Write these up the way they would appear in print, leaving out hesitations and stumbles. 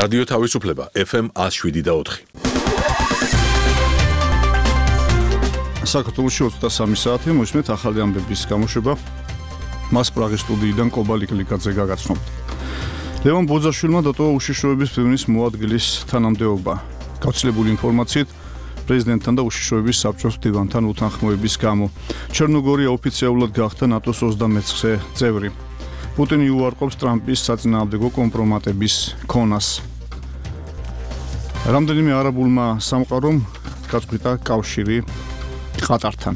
რადიო თავისუფლება FM 107.4. საქართველოში 23 საათი მოისმენთ ახალი ამბების გამოშვება. მას პრაღის სტუდიიდან კობა ლიკლიკაძე გაგაცნობთ. ლევან ბოძაშვილმა დატოვა უშიშროების ფირმის მოადგილის თანამდებობა. გავრცელებული ინფორმაციით პრეზიდენტთან და უშიშროების საბჭოს მდივანთან უთანხმოების გამო ჩერნოგორია ოფიციალურად გახდა ნატოს 29 წევრი. პუტინი უარყოფს ტრამპის საწინააღმდეგო კომპრომატების ქონას. რამდენიმე არაბულმა სამყარომ გაწყვიტა კავშირი ყატართან.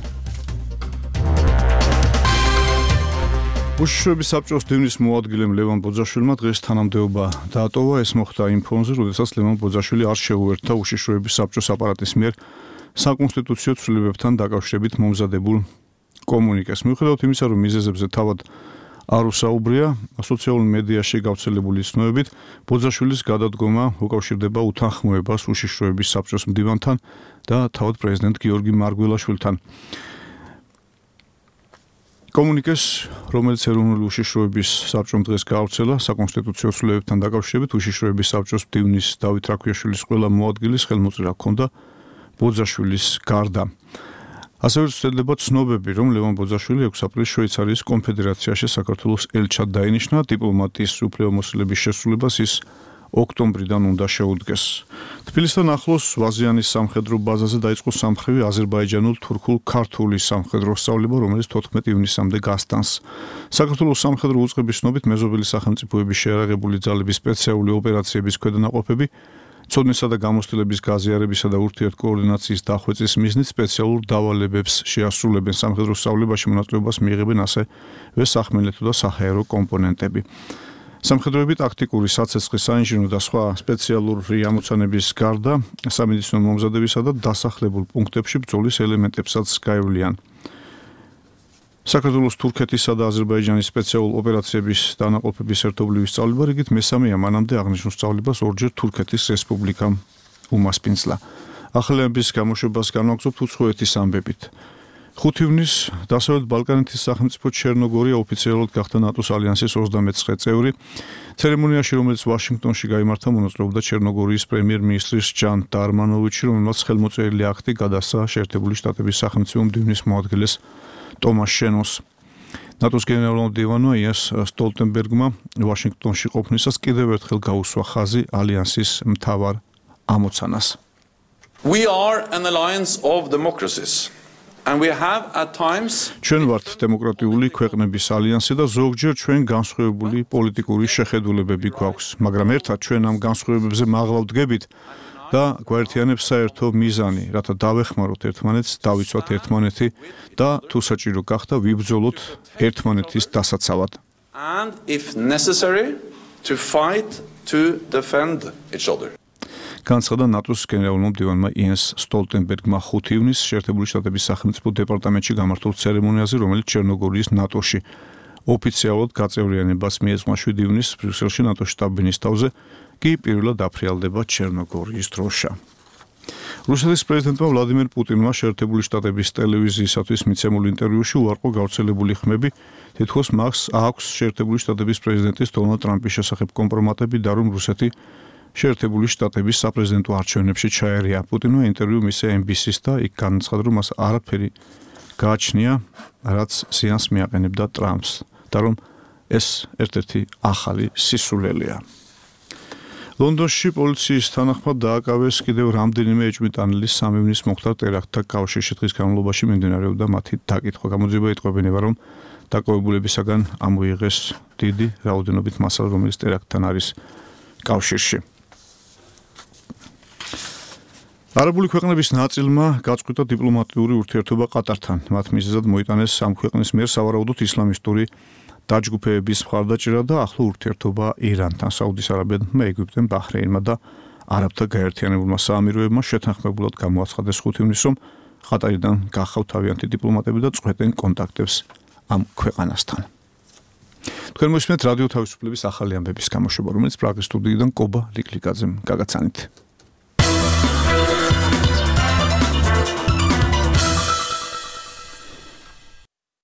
უშიშროების საბჭოს მდივნის მოადგილემ ლევან ბოძაშვილმა დღეს თანამდებობა დაატოვა. ეს მოხდა იმ ფონზე, როდესაც ლევან ბოძაშვილი არ შეუერთდა უშიშროების საბჭოს აპარატის მიერ საკონსტიტუციო ცვლილებებთან დაკავშირებით მომზადებულ კომუნიკეს. მიუხედავად იმისა, რომ მიზეზებზე თავად არ უსაუბრია, სოციალურ მედიაში გავრცელებული ცნობებით, ბოძაშვილის გადადგომა უკავშირდება უთანხმოებას უშიშროების საბჭოს მდივანთან და თავად პრეზიდენტ გიორგი მარგველაშვილთან. კომუნიკეს, რომელიც ეროვნული უშიშროების საბჭომ დღეს გაავრცელა საკონსტიტუციო ცვლილებებთან დაკავშირებით, უშიშროების საბჭოს მდივნის დავით რაქვიაშვილის ყველა მოადგილის ხელმოწერა ჰქონდა ბოძაშვილის გარდა. ასევე ცდელდება ცნობები, რომ ლევან ბოძაშვილი 6 აპრილს შვეიცარიის კონფედერაციაში საქართველოს ელჩად დაინიშნა. დიპლომატიის უფლებამოსილების შესრულებას ის ოქტომბრიდან უნდა შეუდგეს. თბილისთან ახლოს ვაზიანის სამხედრო ბაზაზე დაიწყო სამხრივი აზერბაიჯანულ-თურქულ-ქართული სამხედრო სწავლება, რომელიც 14 ივნისამდე გასტანს. საქართველოს სამხედრო უწყების ცნობით მეზობელი სახელმწიფოების შეიარაღებული ძალების სპეციალური ოპერაციების ქვედანაყოფები ცოდნისა და გამოცდილების გაზიარებისა და ურთიერთკოორდინაციის დახვეწის მიზნით სპეციალურ დავალებებს შეასრულებენ. სამხედრო სწავლებაში მონაწილეობას მიიღებენ ასევე სახმელეთო და საჰაერო კომპონენტები. სამხედროები ტაქტიკური საცეცხლის, საინჟინრო და სხვა სპეციალური ამოცანების გარდა სამედიცინო მომზადებისა და დასახლებულ პუნქტებში ბრძოლის ელემენტებსაც გაევლიან. საქართველოს თურქეთისა და აზერბაიჯანის სპეციალურ ოპერაციების დანაყოფების ერთობლივი სწავლება რიგით მესამეა, მანამდე აღნიშნულ სწავლებას ორჯერ თურქეთის რესპუბლიკამ უმასპინძლა. ახალი ამბების გამოშვებას განვაგრძობთ უცხოეთის ამბებით. 5 ივნისს დასავლეთ ბალკანეთის სახელმწიფო ჩერნოგორია ოფიციალურად გახდა ნატოს ალიანსის 29 წევრი. ცერემონიაში, რომელიც ვაშინგტონში გაიმართა, მონაწილეობდა ჩერნოგორიის პრემიერ-მინისტრი ჟან დარმანოვიჩი, რომელმაც ხელმოწერილი აქტი გადასცა შეერთებული შტატების სახელმწიფო მდივნის მოადგილეს ტომას შენოს. ნატოს გენერალურმა მდივანმა იენს სტოლტენბერგმა ვაშინგტონში ყოფნისას კიდევ ერთხელ გაუსვა ხაზი ალიანსის მთავარ ამოცანას. We are an alliance of democracies. And we have at times ჩვენ ვართ დემოკრატიული ქვეყნების ალიანსი და ზოგჯერ ჩვენ განსხვავებული პოლიტიკური შეხედულებები გვაქვს, მაგრამ ერთად ჩვენ ამ განსხვავებებზე მაღლა ვდგებით და გვაერთიანებს საერთო მიზანი, რათა დავეხმაროთ ერთმანეთს, დავიცვათ ერთმანეთი და თუ საჭირო გახდა ვიბრძოლოთ ერთმანეთის დასაცავად. And if necessary to fight to defend each other. განცხადა ნატოს გენერალურმა მდივანმა იენს სტოლტენბერგმა 5 ივნისს შეერთებული შტატების სახელმწიფო დეპარტამენტში გამართულ ცერემონიაზე, რომელიც ჩერნოგორიის ნატოში ოფიციალურად გაწევრიანებას მიეძღვნა 7 ივნისს ბრიუსელში ნატოს შტაბ-ბინის თავზე, კი პირველად აფრიალდება ჩერნოგორიის დროშა. რუსეთის პრეზიდენტმა ვლადიმერ პუტინმა შეერთებული შტატების ტელევიზიისათვის მიცემულ ინტერვიუში უარყო გავრცელებული ხმები, თითქოს მას აქვს შეერთებული შტატების პრეზიდენტის დონალდ ტრამპის შესახებ კომპრომატები და რომ რუსეთი შეერთებული შტატების საპრეზიდენტო არჩევნებში ჩაერია. პუტინმა ინტერვიუ მისცა NBC-ს და იქ განაცხადა, რომ მას არაფერი გააჩნია, რაც ზიანს მიაყენებდა ტრამპს და რომ ეს ერთ-ერთი ახალი სისულელეა. ლონდონში პოლიციის თანახმად დააკავეს კიდევ რამდენიმე ეჭვმიტანილის 3 ივნისს მოხდა ტერაქტთა კავშირში. დღის განმავლობაში მიმდინარეობდა მათი დაკითხვა. გამოძიება იტყობინება, რომ დაკავებულებისაგან ამოიღეს დიდი რაოდენობით მასალა, რომელიც ტერაქტთან არის კავშირში. არაბული ქვეყნების ნაწილმა გაწყვიტა დიპლომატიური ურთიერთობა ყატართან. მათ მიზეზად მოიტანეს ამ ქვეყნის მიერ სავარაუდოდ ისლამისტური დაჯგუფებების მხარდაჭერა და ახლო ურთიერთობა ირანთან, საუდის არაბეთმა, ეგვიპტემ, ბაჰრეინმა და არაბთა გაერთიანებულმა საამიროებმა შეთანხმებულად გამოაცხადეს 5 ივნისს, რომ ყატარიდან გახავთ თავიანთი დიპლომატები და წყვეტენ კონტაქტებს ამ ქვეყანასთან. თქვენ მოსმენთ რადიო თავისუფლების ახალი ამბების გამოშვება, რომელიც პრაღის სტუდიიდან კობა ლიკლიკაძემ გაგაცანით.